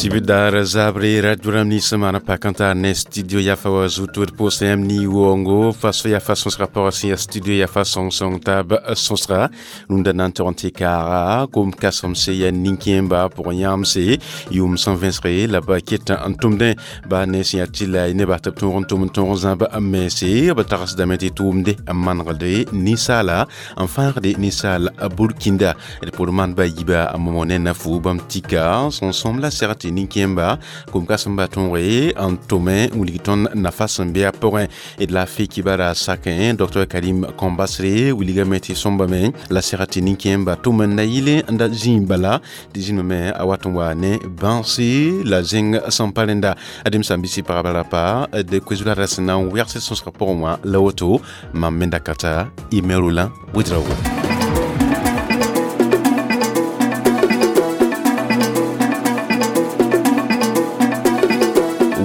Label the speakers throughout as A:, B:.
A: Sibidar zabre radio ni semana pa cantar ne studio ya fa zutur posem ni wongo faso ya façon sera rapport si studio ya façon son tab son sera nunda nan toronte kara kom kasom se ya ninkemba pour yamse yum 120 la ba ket antumde ba ne si atila ne ba tab ton ton ton zamba amese ba taras damete tumde manrde ni sala enfin de ni sala burkinda et pour man ba yiba amone na fu bam tika son som la serati ninkemba kom kasamba tonre en tome uligiton na façon be aporin et de la fi kibara sakin Dr Karim Kombasre uliga meti somba men la serati ninkemba tome na yile nda zimbala dizin me awaton wa ne bansi la zing sampalenda adim sambisi parabalapa de kwezula rasna werse son rapport moi la auto mamenda kata imerula widrawo.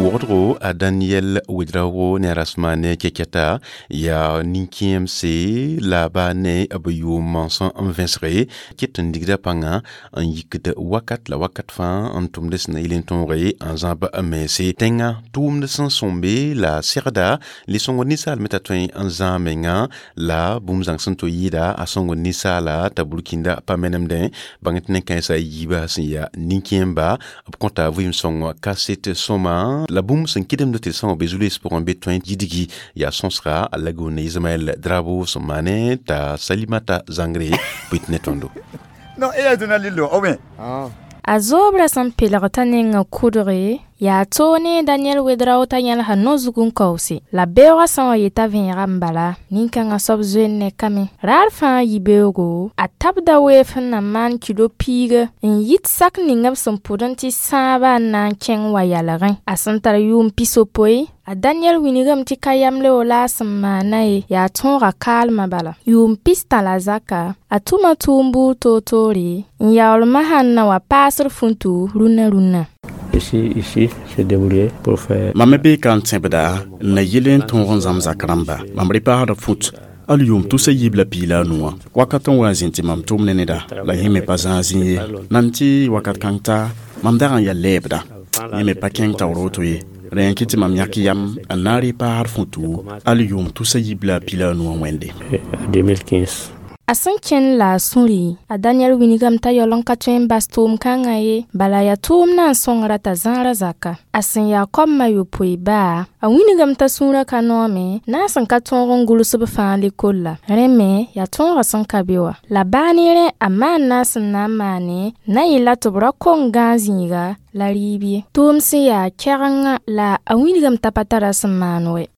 A: Wodro a Daniel Ouedraogo ne rasmane keketa ya ninkmc la ba ne b yʋʋm sẽn n vẽsge ket n digda pãnga n yikd wakat la wakat fãa n tʋmd sẽn na yɩl n tõoge n zãb n mense tẽngã tʋʋmd sẽn sõmbe la segda le-sõngd ninsaal me t'a tõe n zãag menga la bũmb zãng sẽn to yɩɩda a sõngd ninsaala t'a burkinda pa menemdẽ bãng tɩ nin-kãensã yiibã sẽn yaa nin-kẽemba b kõta vɩɩm-sõng kaset sõma la bũmb sẽn kɩdemd tɩ sã wã be zu-loees pʋgẽ be tõe yidgi yaa sõsga a lagune Ismaël Drabo sẽn maane t'a Salimata Zangre bɩ tɩ ne tõndo.
B: Non, e ya lilo, o bien.
C: A zoobra sẽn pelg t'a nengã kʋdge yaa toog ne Daniel Wedrao t'a yẽlsa no-zug n kaoose la beoogã sã n wa yeta vẽegã n bala nin-kãngã soab zoe n ne kame raar fãa yibeoogo a tabda weef sẽn na maan kilo piiga n yit sak ning b sẽn pʋd n tɩ sãabã n na n kẽng wa yalgẽ a sẽn tar yʋʋm pisopoe a Daniel wilgame tɩ ka yamleo la a sẽn maana ye yaa tõoga kaalmã bala yʋʋm pistã la zaka a tʋma tʋʋm buud toor-toore n yaool masã n na wa paasd fũtu rũnã rũnã.
D: Ici, ici, se débrouiller pour faire.
E: Mam me bee ka n tẽbda n na yɩl n tõog n zãm zak rãmba. Mam repaasda fut al yʋʋm tʋsa yiib la piig la a nu wã. Wakat n wa n zĩnd tɩ mam tʋm ne neda la yẽ me pa zãag zĩ ye. Nan tɩ wakat kãng ta mam dag n yaa lɛɛbda. Yẽ me pa kẽng taoor woto ye. Rẽ n kɩ tɩ mam yãk yam n na n repaasd fũtu al yʋʋm tʋsa yiib la a piig la a nu wã wẽnde.
D: 2015.
C: A sẽn kẽnd la a sũuri a Daniel wilgame t'a yaool n ka tõe n bas tʋʋm-kãngã ye bala yaa tʋʋmdã n sõngra t'a zãara zaka a sẽn yaa koamã yopoe baa a wilgame t'a sũurã ka noome na a sẽn ka tõog n gʋls b fãa lekolla rẽ me yaa tõogã sẽn ka be wã la baa ne rẽ a maan na a sẽn na n maane na yɩla tɩ b ra kong gãag zĩiga la rɩɩb ye tʋʋm sẽn yaa kɛgengã la a wilgame t'a pa tara sẽn maan wɛ.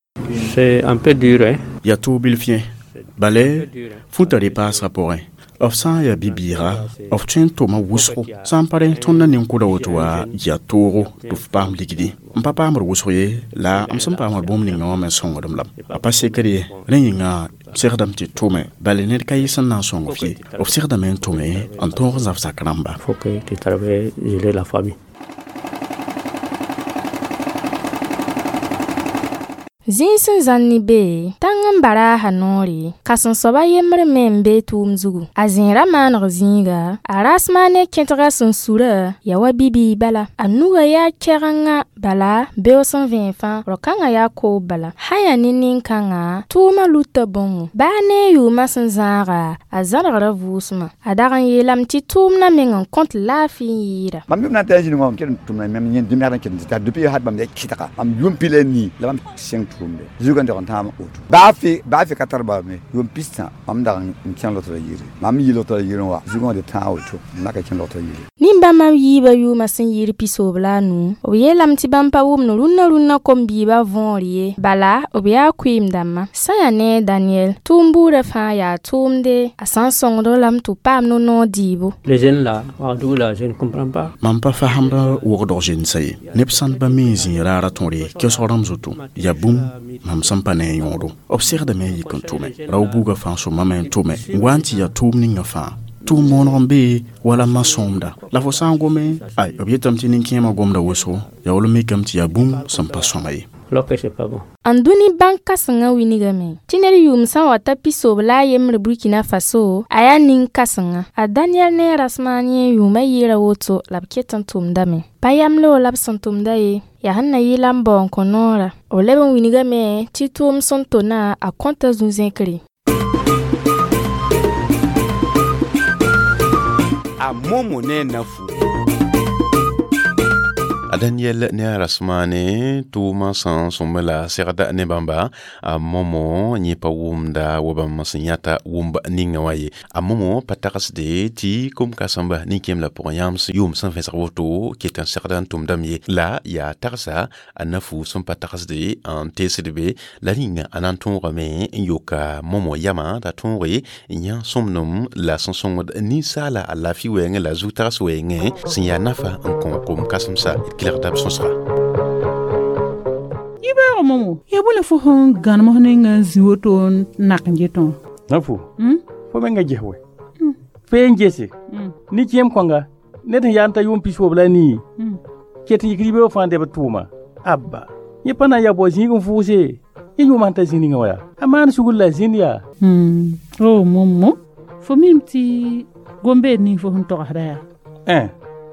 D: C'est un peu dur, hein?
E: Yaa toog bilf yẽ. Bala fũta repaasgã pʋgẽ f sã n yaa bi-bɩɩga f tõe n tʋma wʋsgo sã n pa rẽ tõnd na nin-kʋda woto wã yaa toogo tɩ f paam ligdi n pa paamd wʋsg ye la m sẽn paamd bũmb ninga wã me sõngdem lame a pa sekd ye rẽ yĩnga segdame tɩ tʋme bala ned ka yɩ sẽn na n sõng f ye f segdame n tʋme n tõog n zab zak rãmba.
D: Faut que tu travailles, gérer la famille.
C: Zĩig sẽn zãn ne bee tãng n baraasa noore kãsem-soaba yembr me n bee tʋʋm zugu a zẽera maaneg zĩiga a rasmaane kẽtgã sẽn sura yaa wa bi-biig bala a nugã yaa kɛgenga bala beoog sẽn vẽeg fãa rao-kãngã yaa koob bala sã yaa ne nin-kãngã tʋʋmã luta bõngo baa ne a yʋʋmã sẽn zãaga a zãrgra vʋʋsmã a dag n yeelame tɩ tʋʋmdã meng n kõt laafɩ n yɩɩda.
B: Mam yʋm na n tɩ zĩnig wã ket n tʋmda mam yẽ dũniyã ket n tɩ depuis had mam ya kɩtga mam yʋʋm pila nii la mam sẽng tʋʋmde zugã n dag n tãam woto baa fɩ ka tar bala me yʋʋm pistã mam dag n kẽng logtrã yire mam yɩ logtrã yirẽ wã zugã wã tɩ tãag woto n laka kẽng logtrã yire.
C: Nin-bãmbã yiibã yʋʋmã sẽn yɩɩd pisoob la a nu b yeelame tɩ bãmb pa wʋmd rũnnã rũnnã kom-biibã võor ye bala b yaa kʋɩɩm-dãmbã sã yaa ne Daniel tʋʋm buudã fãa yaa tʋʋmde a sã n sõngd lame tɩ b paam no-noog dɩɩbo.
D: Les jeunes là, Ouagadougou là, je ne comprends pas.
E: Mam pa fasemd wogdg zẽnsa ye neb sãn pa mi n zĩig raara tõre kiosg rãmb zutu yaa bũmb mam sẽn pa ne a yõodo b segdame n yik n tʋme rao-buugã fãa sõmame n tʋme n wa n tɩ yaa tʋʋm ninga fãa tʋʋm mooneg n bee wala ma sõomda la fo sã n gome ay b yetame tɩ nin-kẽemã gomda wʋsgo yaa wall n mikame tɩ yaa bũmb sẽn pa sõma ye.
D: Alors que c'est pas bon.
C: N dũni bãnk kãsengã wilgame tɩ ned yʋʋm sã n wa ta pisob la a yembre Burkina Faso a yaa nin-kãsengã. A Daniel ne Rasmani yʋʋmã yɩɩra woto la b ket n tʋmdame. Pa yamleo la b sẽn tʋmda ye, yaa sẽn na yɩ la n bao n kõ noorã. B leb n wilgame tɩ tʋʋm sẽn tona a kõta zu-zẽkre.
F: A Momo ne Nafu.
A: A Daniel ne a Rasmane tʋʋmã sẽn sõmb la segda ne bãmba a Momo yẽ pa wʋmda wa bãmb sẽn yãta wʋmb ninga wã ye. A Momo pa tagsde tɩ kom-kãsemba nin-kẽem la pʋgẽ yãmb yʋʋm sẽn vẽsg woto ket n segda n tʋmdame ye. La yaa tagsa a Nafu sẽn pa tagsde n teesd be la rĩnga a na n tõogame n yoka Momo yamã t'a tõoge n yã sõmnem la sẽn sõngd ninsaala a laafɩ wɛɛngẽ la zu-tags wɛɛngẽ sẽn yaa nafa n kõ kom-kãsemsa. Kelgda b sõsga.
G: Yibeoogo Momo, yaa bõe la fo sẽn gãnem f ninga n zĩ woto n nak n getẽ wã?
H: Nafu, fo menga ges wɛ. Fee n gese. Ni-kẽem kõnga, ned sẽn yaa n ta yʋʋm pisob la nii, ket n yik yibeoog fãa n deb tʋʋma. Abba, yẽ pa na n yaa bao zĩig n vʋʋse. Yẽ yʋʋma sẽn ta zĩ ninga wã yaa. A maan sugr la zĩnd yaa.
G: O Momo, fo mim tɩ gombeed ning fo sẽn togsda yaa.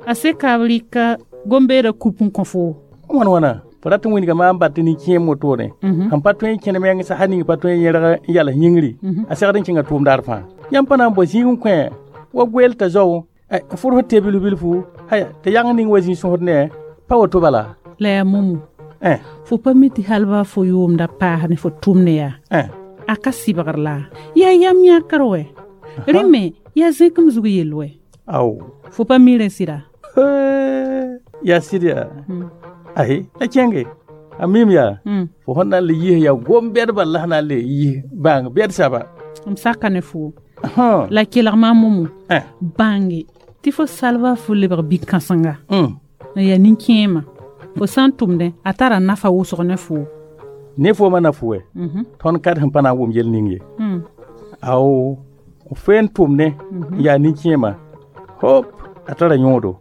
G: A seka b rɩka gombeeda kup n kõ fo.
H: Wãn wãna, fo rat n wilga maam bat tɩ nin-kẽem wotone. Sẽn pa tõe n kẽne meng sasa ning pa tõe n yẽrg n yals yĩngri, a segd n kẽnga tʋʋm daar fãa. Yãmb pa na n bao zĩig n kõ wa goeel t'a zao, n fʋrs tɩ bilf bilfu, aya tɩ yãng ning wa zĩ sõsd ne, pa woto bala.
G: La yaa Momo, fo pa mi tɩ hal baa fo yʋʋmda paas ne fo tʋmne yaa. A ka sɩbgr la. Yaa yam yãkr wɛ. Rẽ me yaa zẽkem zug yell wɛ.
H: Ao.
G: Fo pa mi rẽ sɩda?
H: Yaa sɩd yaa. Ahe, la kẽnge. A mim yaa. Fo sẽn na n le yis yaa gom-bɛdbã la sẽn na n le yis bãng bɛd saba.
G: M saka ne fo. La kelg maam Momo. Bãnge tɩ fo salba fo lebg bi-kãsenga. N yaa nin-kẽemã. Fo sã n tʋmdẽ, a tara nafa wʋsg ne fo.
H: Ne foomã na fo wɛ. Tõnd kad sẽn pa na n wʋm yel ning ye. Ao, fo n tʋmdẽ n yaa nin-kẽemã. Hop, a tara yõodo.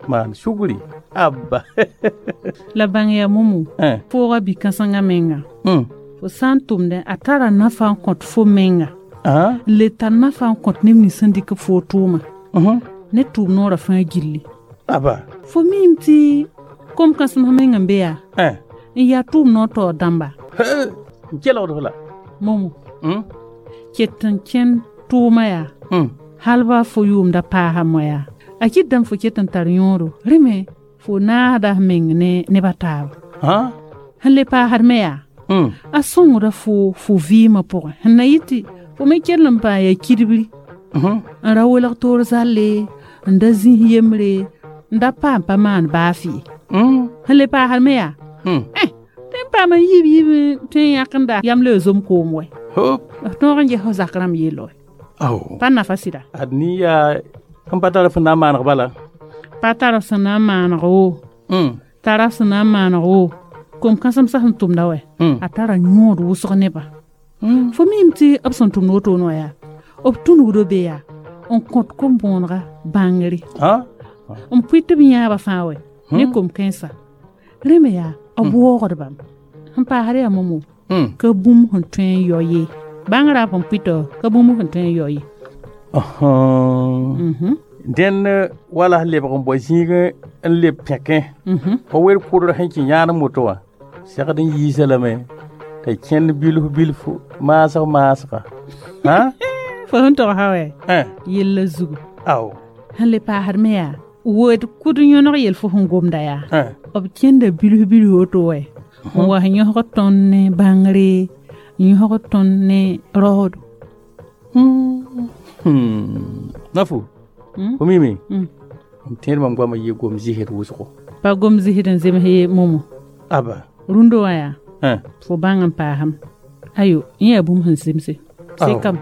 H: Maan sugri. Abba.
G: La bãng yaa Momo, foogã bi-kãsengã menga. Fo sã n tʋmdẽ, a tara nafa n kõt fo menga. N le tar nafa n kõt neb nins sẽn dɩk fo tʋʋma. Ne tʋʋm noorã fãa gilli.
H: Aba.
G: Fo miime tɩ kom-kãsem meng n be yaa. N yaa tʋʋm noor taoor dãmba.
H: N kelgd f la.
G: Momo, ket n kẽnd tʋʋmã yaa. Hal baa fo yʋʋmda paasa moa yaa. A kɩt dãmb fo ket n tar yõodo. Rẽ me fo naasda f meng ne neb a taaba. Sẽn le paasd me yaa, a sõngda fo fo vɩɩmã pʋgẽ. Sẽn na yɩ tɩ fo me kell n paam yaa kidbri, n ra welg toor zalle, n da zĩis yembre, n da paam pa maan baa fɩ. Sẽn le paasd me yaa, tɩ n paam n yib yib tõe n yãkenda yam leo zom koom wɛ. F tõog n ges f zak rãmb yell wɛ. Pa nafa sɩda.
H: Ad ni yaa sẽn pa tar f sẽn na n maaneg bala.
G: Pa tar f sẽn na n maaneg wo. Tara f sẽn na n maaneg wo. Kom-kãsemsã sẽn tʋmda wɛ, a tara yõod wʋsg nebã. Fo miime tɩ b sẽn tʋmd wotone wã yaa, b tũnugdo be yaa n kõt kom-bõonega bãngre. N pʋɩ tɩ b yãabã fãa wɛ ne kom-kãensã. Rẽ me yaa, b waoogd bãmb. Sẽn paasd yaa Momo, ka bũmb sẽn tõe n yao ye. Bãngrã b sẽn pʋɩtɔ ka bũmb sẽn tõe n yao ye.
H: Dẽnd wala lebg n bao zĩig n leb pẽkẽ. Fa wer kʋdr sẽn kẽ yãanem woto wã, segd n yiisa lame t'a kẽnd bilf bilf maasg maasga.
G: Fo sẽn togsã wɛ, yella zugu.
H: Ao.
G: Sẽn le paasd me yaa, wood kʋd yõneg yel fo sẽn gomda yaa. B kẽnda bilf bilf woto wɛ, n wa sẽn yõsg tõnd ne bãngre, n yõsg tõnd ne raoodo.
H: Nafu, fo mime, m tẽed mam goamã yɩ gom zɩsd wʋsgo.
G: Pa gom zɩsd n zems ye Momo.
H: Aba.
G: Rũndã wã yaa, fo bãng n paasem. Ayo, yẽ yaa bũmb sẽn zemse. Sekame.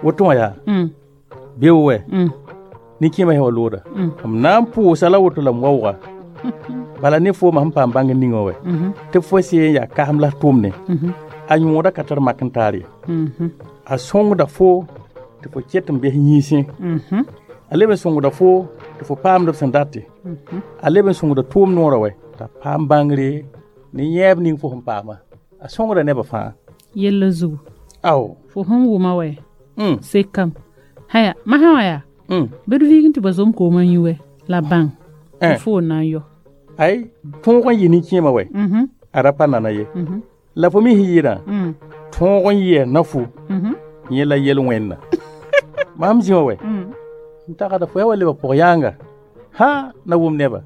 H: Woto wã yaa, beo wɛ, nin-kẽemã sẽn wa looda. M na n pʋʋsa la woto la m waooga. Bala ne foomã sẽn paam bãng ninga wɛ, tɩ fo seen yaa kasem la f tʋmne, a yõoda ka tar mak n taar ye. A sõngda fo tɩ fo ket n bes yĩnsẽ. A leb n sõngda fo tɩ fo paamd b sẽn date. A leb n sõngda tʋʋm noorã wɛ. T'a paam bãngre ne yẽeb ning fo sẽn paama. A sõngda nebã fãa.
G: Yella zugu.
H: Ao.
G: Fo sẽn wʋma wɛ. Sekam. Haya, masã wã yaa. Bɩ d viig n tɩ ba zom koomã yũ wɛ la bãng. Tɩ fo na n yɔ.
H: Ay, tõog n yɩ nin-kẽemã wɛ. A ra pa nana ye. La fo me sẽn yɩɩdã, tõog n yɩa na-fo, yẽ la yel-wẽnna. Mam zĩ wã wɛ. N tagda fo yaa wa lebg pʋg-yãanga. Ha, na wʋm neba.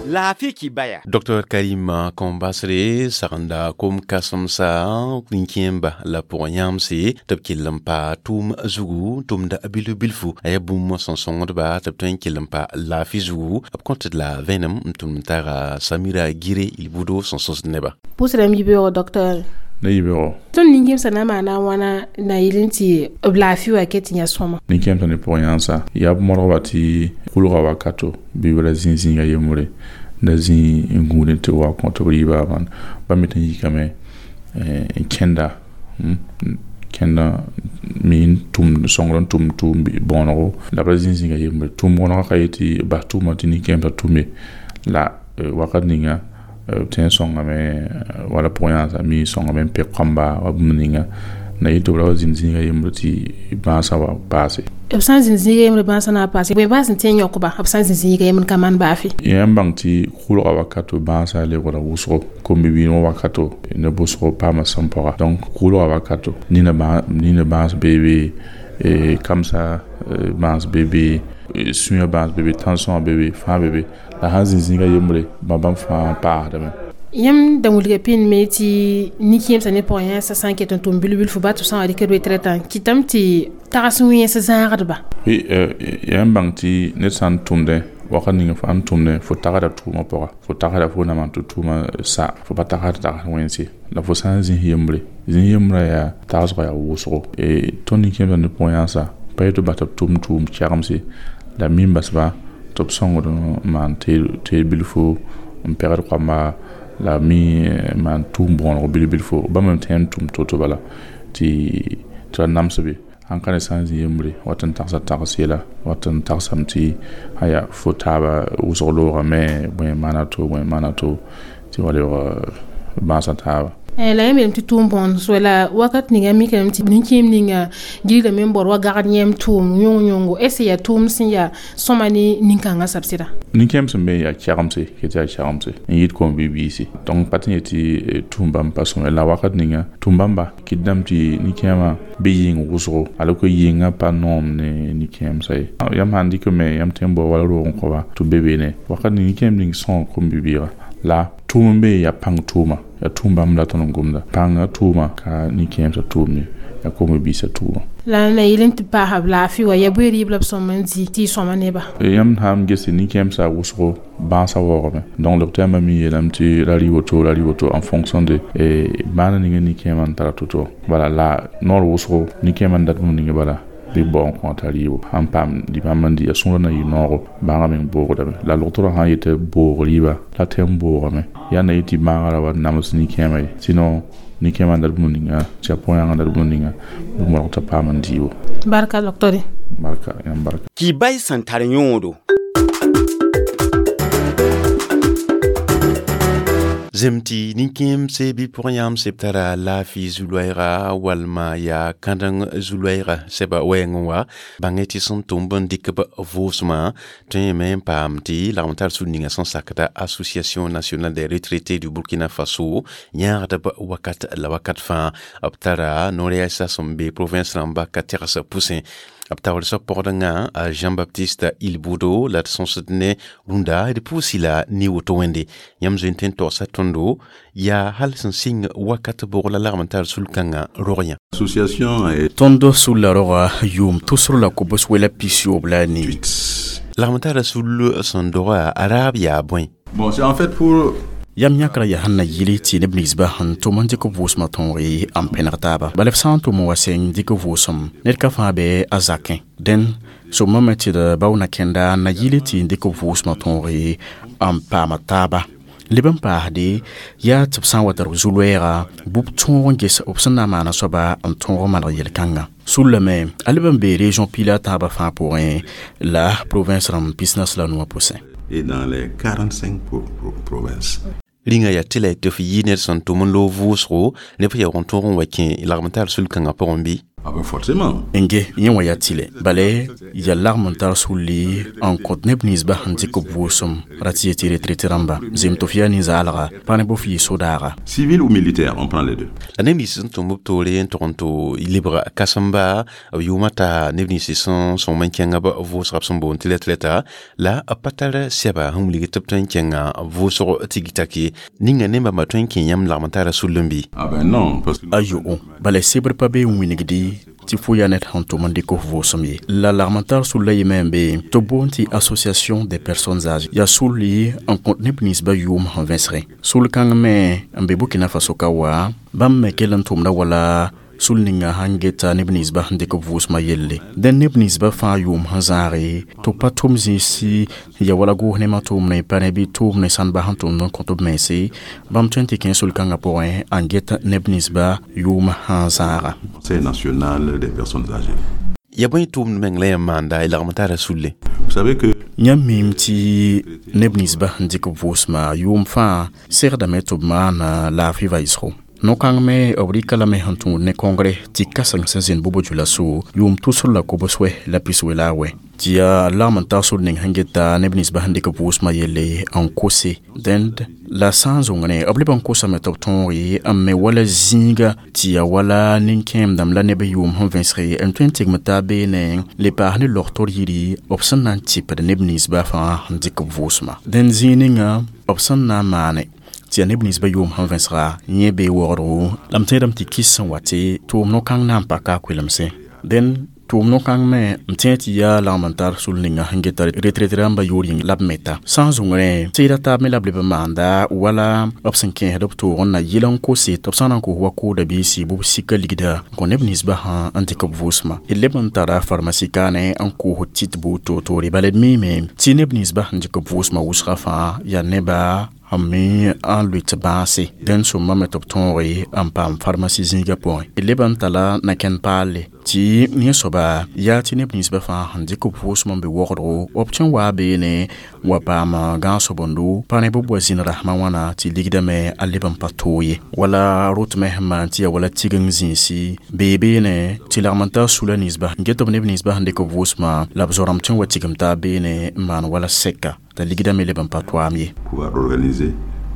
F: Laafɩ kibaya.
A: Dr Karim Kombasre sagenda kom kãsemsa nin-kẽemba la pʋgẽ yãmse tɩ b kell n pa tʋʋm zugu tʋmda bilf bilfu a yaa bũmb sẽn sõngdba tɩ b tõe n kell n pa laafɩ zugu b kõt d la vẽenem n tʋm n taga Samira Gire Ilbudo sẽn sõsd neba.
I: Pʋʋsdame yibeoogo docteur.
J: Ne yibeoogo.
I: Tõnd nin-kẽemsã na n maana a wãna na yɩl n tɩ b laafɩ wa ket tɩ yã sõma.
J: Nin-kẽemsã ne pʋgẽ yãnsa yaa b modgba tɩ kʋlga wakato bɩ b ra zĩ zĩiga yembre da zĩ n gũud tɩ wa kõ tɩ b rɩɩba bãmb ba me tɩ n yikame n kẽnda kẽnda mi n tʋmd sõngr n tʋm tʋʋm bõonego la b ra zĩ zĩiga yembre tʋʋm bõonegã ka yetɩ bas tʋʋmã tɩ nin-kẽemsã tʋme la wakat ninga b tõe n sõngame wala pʋgẽ yãnsã mi sõngame n pek kõmba wa bũmb ninga na yetɩ b ra wa zĩnd zĩiga yembre tɩ bãasã wa paase.
I: B sã n zĩnd zĩiga yembre bãasã na paase, bõe bãas n tõe n yõkba b sã n zĩnd zĩiga yembre ka maan baafɩ?
J: Yãmb bãng tɩ kʋlga wakato bãasã lebgra wʋsgo kom-bibiir wã wakato ne bʋsgo paama sẽn pɔga donc kʋlga wakato nina bãas beebe kamsa bãas beebe sũyã bãas beebe tãn-sõa beebe fãa beebe la sãn zĩ zĩiga yembre bãmb fãa paasdame.
I: Yãmb da wilga pĩndme tɩ nin-kẽemsã ne pʋgẽ yãsã sã n ket n tʋm bil-bilfu ba tɩ b sã n wa dɩk retraitã kɩtame tɩ tags wẽns zãagdba.
J: Oui, yãmb bãng tɩ ned sã n tʋmdẽ wakat ning fo sãn tʋmdẽ fo tagsda tʋʋmã pʋga fo tagsda fo na maan tɩ tʋʋmã sa fo pa tagsd tags wẽnse la fo sã n zĩs yembre zĩs yembrã yaa tagsgã yaa wʋsgo tõnd nin-kẽemsã ne pʋgẽ yãnsã pa yetɩ b bas tɩ b tʋm tʋʋm kɛgemse la mi n basba tɩ b sõngd n maan teed bilfu n pegd koamba la mi maan tʋʋm bõonego bil-bilfu bãmb me tõe n tʋm to-to bala tɩ ra namsbe sãn ka ne sã n zĩ yembre wat n tagsa tags yɛla wat n tagsame tɩ aya fo taaba wʋsg loogame bõe maana to bõe maana to tɩ wa lebg bãasã taaba.
I: La yãmb yeelame tɩ tʋʋm bõond so la wakat ninga mikame tɩ nin-kẽem ninga gilgame n baood wa gagd yẽm tʋʋm yõng-yõngo est ce yaa tʋʋm sẽn yaa sõma ne nin-kãngã sab sɩda?
J: Nin-kẽem sẽn be yaa kɛgemse ket yaa kɛgemse n yɩɩd kom-bi-biisi donc pa tɩ n yetɩ tʋʋm bãmb pa sõma la wakat ninga tʋʋm bãmba kɩtdame tɩ nin-kẽemã bɩ yɩng wʋsgo ala ko yɩnga pa noom ne nin-kẽemsã ye yãmb sãn dɩkame yãmb tõe n bao wala roog n kõba tɩ b be beene wakat ning nin-kẽem ning sõg kom-bi-biiga la tʋʋm n be yaa pãng tʋʋma yaa tʋʋm bãmb la tõnd n gomda pãngã tʋʋma ka nin-kẽemsã tʋʋm ye yaa kom-bi-biisã tʋʋma.
I: La na yɩl n tɩ paasa b laafɩ wa yaa bõe rɩɩb la b sõm n dɩ tɩ y sõma neba.
J: Yãmb sã n gese nin-kẽemsã wʋsgo bãasã waoogame donc docteur yãmba mi yeelame tɩ ra rɩ woto ra rɩ woto en fonction de bãana ninga nin-kẽemã n tara to-to bala la noor wʋsgo nin-kẽemã n dat bũmb ninga bala bɩ bao n kõ t'a rɩɩbo sãn paam bãmb n dɩ a sũurã na yɩ noogo bãagã meng boogdame la logtrã sã n yetɩ boog rɩɩba la tɩ n boogame yaa na yetɩ bãagã ra wa nams nin-kẽemã ye sinon nin-kẽemã n dat bũmb ninga tɩ a pʋgẽ n dat bũmb ninga bɩ modg t'a paam n dɩɩbo.
I: Barka docteur.
J: Barka yãmb barka.
F: Kibay sẽn tar yõodo.
A: Zem tɩ nin-kẽemse bɩ pʋgẽ yãmse b tara laafɩ zu-loɛɛga walma yaa kãdeng zu-loɛɛga sɛba wɛɛngẽ wa bãngẽ tɩ sẽn tʋm b n dɩk b vʋʋsmã tõe yeme n paam tɩ lagm tar sũur ninga sẽn sakda Association nationale des retraités du Burkina Faso yãagd b wakat la wakat fãa b tara no-rɛɛsa sẽn be province rãmba ka tegs pʋsẽ b taoor soab pɔgdengã Jean-Baptiste Ilbudo la d sõsd ne rũndã d pʋʋsi la ne woto wẽnde yãmb zoe n tõe n togsa tõndo yaa hal sẽn sɩng wakat bʋg la lagm n tar sul-kãngã rog yã.
K: Association
E: Tõnd sulla roga yʋʋm tʋsr la kobs wela pisyoob la a nii.
A: Lagm tara sul sẽn doga a raab yaa bõe.
K: Bon, c'est en fait pour
E: Yam yãkra yaa sẽn na yɩl tɩ neb ninsba sẽn tʋm n dɩk vʋʋsmã tõog n pẽneg taaba bala b sã n tʋm n wa seng dɩk vʋʋsem ned ka fãa bɩ a zakẽ dẽn sõmame tɩ d bao na kẽnda n na yɩl tɩ n dɩk vʋʋsmã tõog n paama taaba Leb n paasde yaa tɩ b sã n wa tar b zu-loɛɛga bʋ b tõog n ges b sẽn na n maana soaba n tõog n maneg yel-kãngã. Sullame a leb n bee région pila tãabã fãa pʋgẽ la province rãmb 45 pʋsẽ.
K: Et dans les 45 provinces.
A: Rĩnga yaa tɩ la tɩ f yɩ ned sẽn tʋm n loog vʋʋsgo ne f yaoog n tõog n wa kẽ lagm tar sul-kãngã pʋgẽ bɩ?
K: Ah ben forcément.
E: N ge yẽ wã yaa tɩlɛ bala yaa lagm n tar sulli n kõt neb ninsbã sẽn dɩk b vʋʋsem ra tɩ yetɩ retraite rãmba zem tɩ f yaa nin-zaalga pa ne bɩ f yɩ so-daaga.
K: Civil ou militaire, on prend les deux.
A: La neb nins sẽn tʋm b toore n tʋg n tʋ lebg kãsem-ba b yʋʋmã taa neb nins sẽn sõng n kẽnga b vʋʋsga b sẽn boond tɩ retraite la b pa tar sɛba sẽn wilg tɩ b tõe n kẽnga vʋʋsg tigtake ninga ne bãmba tõe n kẽ yãmb lagm n tara sull n bɩ?
K: Ah ben non, parce que
E: A yo'o bala sebr pa bee n wingdi tɩ fo yaa ned sẽn tʋm n dɩk f vʋʋsem ye. La lagm n tar sulla yemẽ n be tɩ b boond tɩ association des personnes âgées yaa sulli n kõt neb ninsbã yʋʋm sẽn vẽsgẽ. Sul-kãng me n be Burkina Faso ka wa bãmb me kell n tʋmda wala sul ninga sãn geta neb ninsbã sẽn dɩk b vʋʋsmã yelle. Dẽn neb ninsbã fãa yʋʋm sẽn zãage tɩ b pa tʋm zĩisi ya wala goos nemã tʋʋmne pa ne bɩ tʋʋmne sãnba sẽn tʋmd n kõt b mense bãmb tõe n tɩ kẽ sul-kãngã pʋgẽ n get neb ninsbã yʋʋm sẽn zãaga.
K: Conseil national des personnes âgées.
A: Ya bõe tʋʋmd meng la yãmb maanda y lagm tara sulle?
K: Vous savez que
E: Yãmb miime tɩ neb ninsbã sẽn dɩk b vʋʋsmã yʋʋm fãa segdame tɩ b maana laafɩ vaɩsgo. No-kãng me b rɩka lame sẽn tũud ne congrès tɩ kãseng sẽn zĩnd Bobo Dioulasso yʋʋm tusr la kobs-wɛ la piswɛ la a wɛ tɩ yaa lagm n tar sor ning sẽn geta neb ninsbã sẽn dɩk b vʋʋsmã yelle n kose. Dẽnd la sã n zõngne b leb n kosame tɩ b tõoge n me wala zĩiga tɩ yaa wala nin-kẽemdãmb la neb yʋʋm sẽn vẽsge n tõe n tigm taab beene le paas ne log-tor yiri b sẽn na n tɩpd neb ninsbã fãa sẽn dɩk b vʋʋsmã. Dẽnd zĩig ninga b sẽn na n maane tɩ yaa neb ninsbã yʋʋm sẽn vẽsga yẽ bee waoodgo la m tẽedame tɩ kis sẽn wa tɩ tʋʋm no-kãng na n paka a koelemsẽ. Dẽn tʋʋm no-kãng me m tẽeg tɩ yaa lagm n tar sul ninga sẽn geta retraite rãmbã yʋʋr yĩng la b meta. Sã n zũngrẽ tɩɩda taab me la b leb n maanda wala b sẽn kẽesd b toog n na yɩl n kose tɩ b sã n na n kos wa kooda biisi bɩ b sika ligda n kõ neb ninsbã sã n dɩk b vʋʋsmã. D leb n tara pharmacie kaane n koos tit buud toor-toore bala d miime tɩ neb ninsbã sẽn dɩk b vʋʋsmã wʋsgã fãa yaa neba sẽn mi n lʋɩ tɩ bãase dẽnd sõmame tɩ b tõoge n paam pharmacie zĩigã pʋgẽ. D leb n tala na-kẽnd paalle tɩ yẽ soaba yaa tɩ neb ninsbã fãa sẽn dɩk b vʋʋsmã n be waoodgo b tõe n waa beene wa paam gãag-sobondo pa ne bɩ b wa zĩnd rasmã wãna tɩ ligdame a leb n pa toog ye. Wala rotmẽ sẽn maan tɩ yaa wala tigeng zĩisi bee beene tɩ lagm n tar sula ninsbã n get b neb ninsbã sẽn dɩk b vʋʋsmã la b zoarãmb tõe n wa tigim taab beene n maan wala sɛka t'a ligdame leb n pa toaam ye.
K: Pouvoir organiser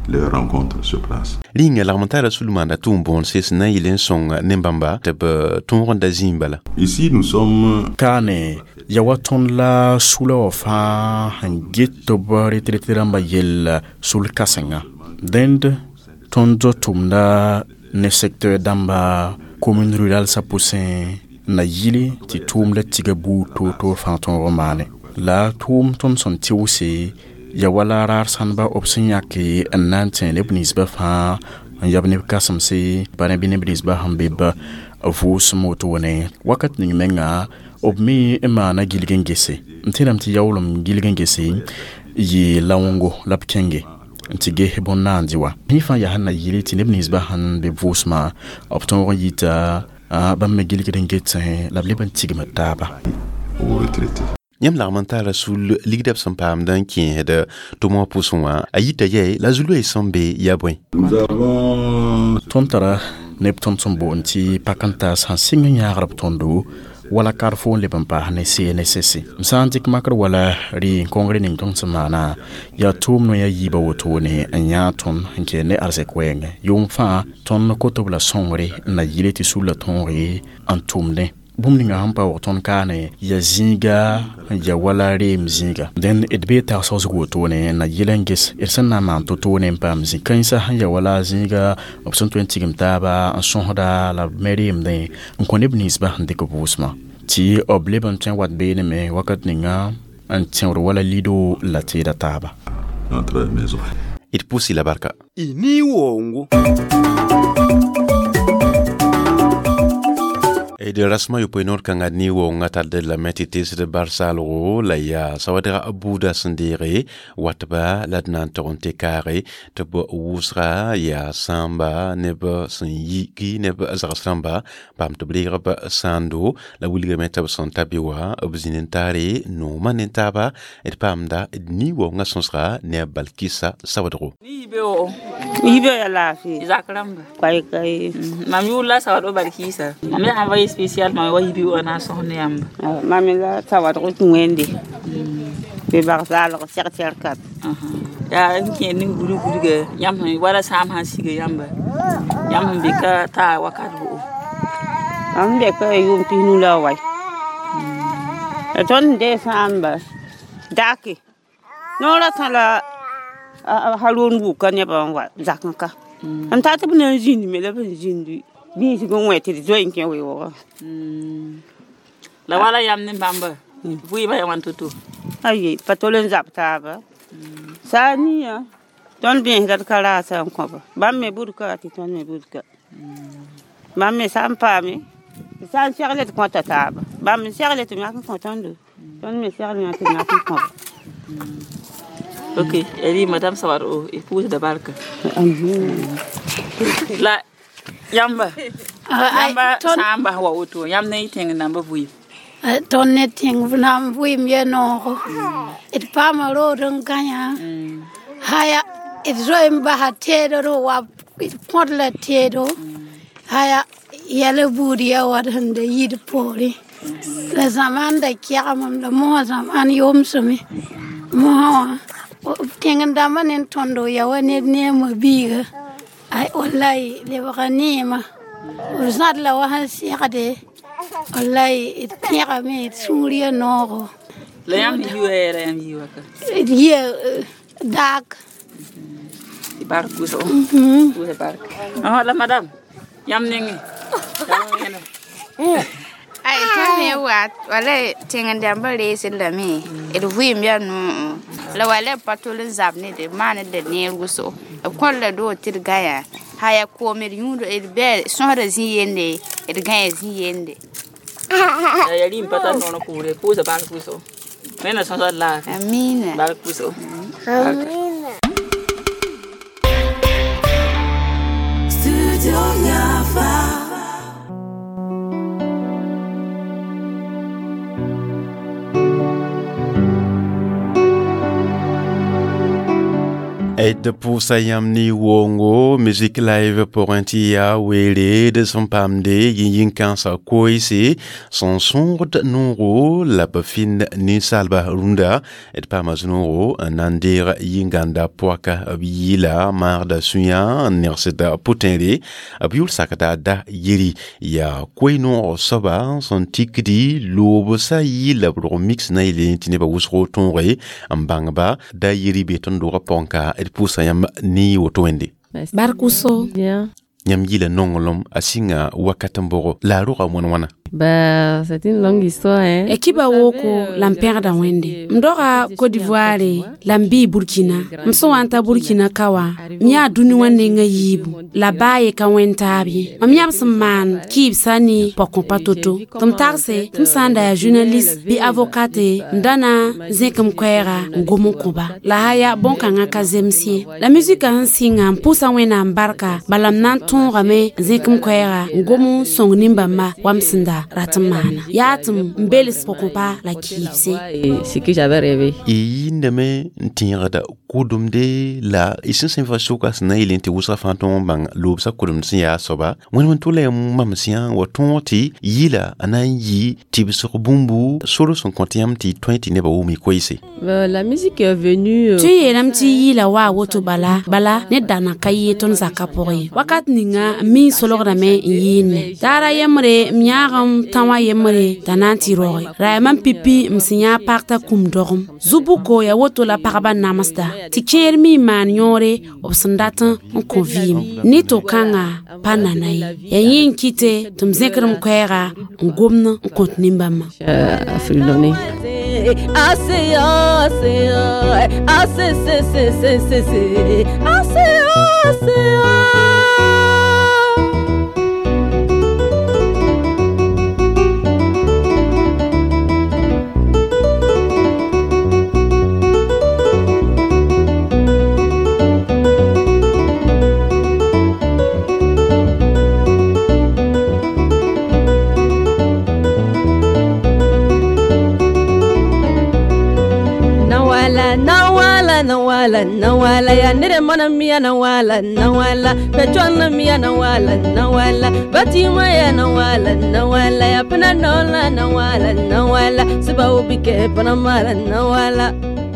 K: leurs rencontres sur place.
A: Rĩnga lagm n tara sul maanda tʋʋm bõonse sẽn na n yɩl n sõng ne-bãmba tɩ b tõog n da zĩig bala.
K: Ici, nous sommes
E: Kaane ya wa tõnd la sula wã fãa sẽn get tɩ b retraite rãmbã yell sul-kãsenga. Dẽnd tõnd tʋmda ne secteur dãmba commune rurale sã pʋsẽ na yɩle tɩ tʋʋmda tiga buud toor-toor fãa tõog n maane. La tʋʋm tõnd sẽn tɩʋse ya wala raar sãnba b sẽn yãke n na n tẽ neb ninsbã fãa n yab neb kãsemse pa ne bɩ neb ninsbã sẽn be b vʋʋsem wotone wakat ning menga b me n maana gilg n gese n tẽedame tɩ yaoolem gilg n gese yɩ laongo la b kẽnge n tɩ ges bõn-naandi wa yẽ fãa yaa sẽn na yɩle tɩ neb ninsbã sẽn be vʋʋsmã b tõog n yita bãmb me gilgd n getsẽ la b leb n tigm taaba.
K: Aux retraités.
A: Yãmb lagm n tara sul ligda b sẽn paamd n kẽesd tʋm wã pʋsẽ wã a yita yɛɛ la zu-loees sẽn be yaa bõe?
K: Nous avons
E: Tõnd tara neb tõnd sẽn boond tɩ pak n taas sãn sɩng n yãagr b tõndo wala karfo n leb n paas ne CNSS m sã n dɩk makr wala rɩ congrès ning tõnd sẽn maana yaa tʋʋm noya yiibã wotone n yãag tõnd n kɛɛ ne arzɛk wɛɛngẽ yʋʋm fãa tõnd koto b la sõngre n na yɩle tɩ sulla tõoge n tʋmdẽ bũmb ninga sẽn pa waoog tõnd kaane ya zĩiga ya wala reem zĩiga dẽnd d bee tagsg wotone na yɩl n ges d sẽn na n maan to-toone n paam zĩ-kãensã sẽn ya wala zĩiga b sẽn tõe n tigim taaba n sõsda la b me reemdẽ n kõ neb ninsbã sẽn dɩk b vʋʋsmã tɩ b leb n tõe n wat beene me wakat ninga n tẽood wala lido la tɩɩda taaba.
K: Notre maison.
A: D pʋʋs-y la barka.
F: Ini wongo.
A: D rasmã yopoe noor kãngã ne wonga tall lame tɩ teesd bar-saalgo la yaa sawadga buudã sẽn deege watba la d na n tog n tɩ kaage tɩ b wʋsga yaa sãamba neb sẽn yiki neb zags rãmba paam tɩ b reeg b sãando la wilgame tɩ b sẽn ta be wã b zĩnd n taare noomã ne taaba d paamda d ni-waoongã sõsga ne a Balkisa Sawadgo.
L: Yibe ya laafɩ
M: Zak rãmba
L: koɛɛ
M: mam yʋʋr la Sawadgo Balkisa. Mam yaa envoyé spécial mam wa yibe wã na n sõs ne yãmba.
L: Mam la Sawadgo tũ wẽnde bɩ bag zaalg sɛg-sɛrkat.
M: Yaa n kẽer ning gudg gudga yãmb sẽn wala sãam sãn siga yãmba yãmb sẽn be ka taa wakat bʋgo.
L: Mam be ka yʋʋm 15 la wai. La tõnd dee sãamba dake noorã sã la Haroon wʋka nebã n wa zak n ka. M tar tɩ b na n zĩnd me la b sẽn zĩnd biisg n wẽ tɩ d zoe n kẽ weoogã.
M: La wala yãmb ne bãmba vɩɩmã yaa wãn to-to?
L: Aye, pa tol n zab taaba. Saa nia tõnd bẽesda d ka raasa n kõba. Bãmb me budka tɩ tõnd me budka. Bãmb me sã n paame tɩ sã n segle d kõta taaba. Bãmb n segle tɩ b yãk n kõ tõndo. Tõnd me segle yã tɩ b yãk n kõba.
M: Ok, elle dit Madame Sawadgo, épouse de barka. La yãmba yãmba sãamba wa woto yãmb ne y tẽng namba vɩɩm.
N: Tõnd ne tẽng nam vɩɩm ya noogo. D paama rood n gãyã. Haya d zoe n basa teedr wa d kõd la teedo. Haya yɛla buud ya wa d sẽn da yid poorẽ. La zãmaan da kɛgmem la mosã zãmaan yomsame. Mosã wã tẽng dãmbã ne tõndo ya wa ned neemã biiga. Ay wallahi lebga neema. B zãd la wa sẽn segde. Wallahi d pẽgame d sũur ya noogo.
M: La yãmb yɩ wɛɛra yãmb yɩ waka?
N: D yɩa daak.
M: Tɩ bark wʋsgo. Wʋsa bark. La madame yãmb nengẽ.
O: Ay tõnd me wa wala tẽng dãmbã reesd lame d vɩɩm yaa noog la wala b pa tol n zab ne d maan d neer wʋsgo b kõd la doog tɩ d gãyã haya koom d yũud d bɛ sõsda zĩ yende d gãya zĩ yende.
M: Ya rɩm pa tar noor n pʋʋre pʋʋsa bark wʋsgo. Wẽnna sõsa d laafɩ.
O: Amina.
M: Bark wʋsgo.
O: Amina.
P: Studio Yafa.
A: D pʋʋsa yãmb ne wongo musique live pʋgẽ tɩ yaa weere d sẽn paamde yĩn-yĩn-kãensã koeese sẽn sõgd noogo la b fɩnd ninsaalba rũndã d paama zũ-noogo n na n deeg yĩngãnda poaka b yɩɩla maagda sũyã n negsd pʋtẽere b yʋl sakda da yeri yaa koe-noog soaba sẽn tikdi loobsã yɩɩla b rog mix na yel tɩ nebã wʋsgo tõoge n bãngba da yeri be tõnd doogã pʋgẽ ka d pʋʋsa yãmb ne woto wẽnde.
Q: Bark wʋsgo.
A: Yãmb yɩla nonglem a sɩnga wakat n bʋgo la a roga wãn wãna.
Q: Bah, c'est une longue histoire, hein. Ekiba woko la n pẽgda Wẽnde. M doga Côte d'Ivoire la m bɩ Burkina. M sẽn wa n ta Burkina ka wã, m yaa dũni wã nengã yiibu la baa ye ka wẽnd taab ye. Mam yãb sẽn maan kɩɩbsã ne pɔkõ pa to-to. Tɩ m tagse tɩ m sã n da yaa journaliste bɩ avocate m da na n zẽk m koɛɛga n gom n kõ-ba. La haya bõn-kãngã ka zems ye. La musika sẽn sɩnga n pʋʋsa Wẽnnaam barka bala m na n tõogame n zẽk m koɛɛga n gom n sõng nin-bãmba wa m sẽn da rat n maana. Yaa tɩ m bels pʋgẽ la kɩɩbse.
R: Ce que j'avais rêvé.
A: Y yĩndame n tẽegda kʋdemde la y sẽn sẽn fa soka sẽn na n yel tɩ wʋsga fãa tõog n bãng loobsã kʋdemd sẽn yaa soaba wẽnd wẽn tʋla yãmb mamsã wa tõog tɩ yɩla a na n yɩ tɩbsg bũmbu sor sẽn kõt yãmb tɩ y tõe tɩ nebã wʋm y koeese.
R: La musique est venue.
Q: Tɩ yeelame tɩ yɩɩla waa woto bala bala ned dana ka yee tõnd zakã pʋgẽ ye. Wakat ninga n mi solgdame n yɩɩnne. Daara yembre m yãagem tã wã yembre t'a na n tɩ roge. Ra yaa mam pipi m sẽn yã pag t'a kũm dogem. Zu-buko yaa woto la pagba namsda tɩ kẽer mi n maan yõore b sẽn dat n kõ vɩɩm. Ne to-kãngã pa nana ye. Yaa yẽ n kɩte tɩ m zẽkd m koɛɛga n gomd n kõt nin-bãmbã.
P: A C A C A C C C C C C A C A C A.
R: ya na wala na wala ya nere mana miya na wala na wala pechwana miya na wala na wala batima ya na wala na wala ya pena nola na wala na wala siba ubike pana mala na wala.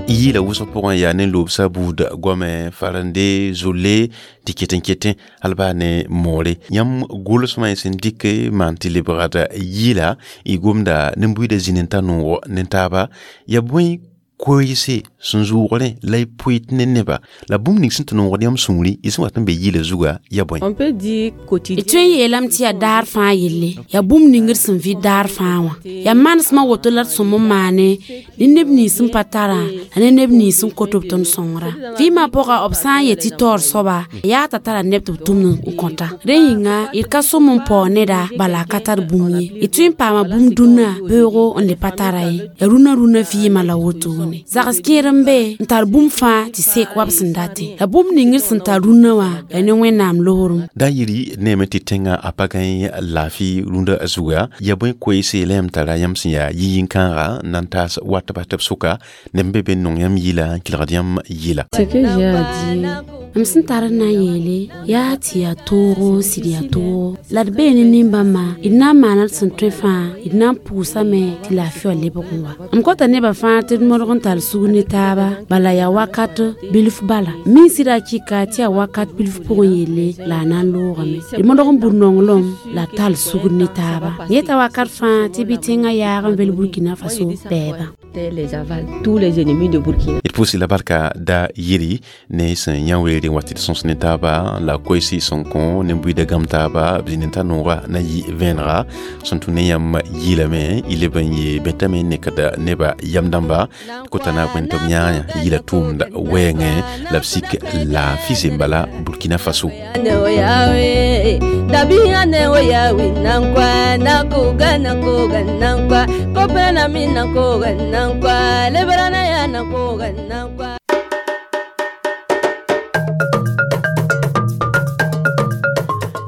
A: Yɩɩla wʋsg pʋgẽ yaa ne loobsã buud goame farande zolle tɩ ket n hal baa ne moore yãmb gʋlsmã y sẽn dɩk maan tɩ lebgd yɩɩla y gomda nin-buiidã zĩ ne ta noogo ne taaba ya bõe koeese sẽn zʋʋgrẽ la y pʋɩt ne neba la bũmb ning sẽn tɩ noogd yãmb sũuri y sẽn wat n be yɩɩla zuga ya bõe?
R: On peut dire quotidien.
Q: D tõe n yeelame tɩ yaa daar fãa yelle, yaa bũmb ning d sẽn vɩ daar fãa wã. Yaa manesmã woto la d sõm n maane ne neb nins sẽn pa tarã la ne neb nins sẽn kot b tõnd sõngra. Vɩɩmã pʋga b sã n yet tɩ taoor soaba yaa t'a tara neb tɩ b tʋmd n kõta. Rẽ yĩnga d ka sõm n paoog neda bala a ka tar bũmb ye. D tõe n paama bũmb dũnna beoogo n le pa tara ye. Yaa rũnã rũnã vɩɩmã la wotone. Zags kẽer n be n tar bũmb fãa tɩ sek wa b sẽn datẽ. La bũmb ning d sẽn tar rũnnã wã yaa ne Wẽnnaam loorem.
A: Da yiri neeme tɩ tẽngã a pa gãe laafɩ rũndã zuga ya bõe koeese la yãmb tara yãmb sẽn yaa yi-yĩn-kãaga n na n taas wat bas tɩ b sʋka neb be be n nong yãmb yɩla n kelgd yãmb yɩla.
R: Ce que j'ai à dire,
Q: M sẽn tar n na n yeele yaa tɩ yaa toogo sɩd yaa toogo la d bee ne nin-bãmba d na n maana d sẽn tõe fãa d na n pʋʋsame tɩ laafɩ wã lebg n wa. M kota nebã fãa tɩ d modg n tall sugr ne taaba bala yaa wakat bilf bala min sɩda kɩka tɩ yaa wakat bilf pʋgẽ yelle la a na n loogame. D modg n bud nonglem la tall sugr ne taaba yeta wakat fãa tɩ bɩ tẽngã yaag n vel Burkina Faso bɛɛba.
R: Les avals, tous les ennemis de Burkina.
A: D pʋʋsɩ la barka da yiri ne sẽn yã weere n wa tɩ d sõs ne taaba la koeese sẽn kõ nin-buiidã gãmb taaba b zĩ ne ta nooga na yɩ vẽenega sẽn tũ ne yãmb yɩlame y leb n yee bẽtame n nekd neba yam dãmba kota na bõe tɩ b yãa yɩla tʋʋmd wɛɛngẽ la b sik laafɩ zembala Burkina Faso.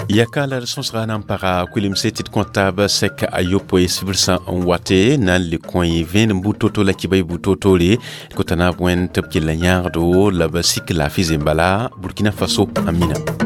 A: Yaka la d sõsga na n paga kuilemse tɩ d kõ taab sɛk a yopoe sibrsã n wate na n le kõ y vẽenem buud to-to la kiba y buud to-toore d kota naab wẽnd tɩ b kell n yãagdo la b sik laafɩ zembala Burkina Faso. Amina.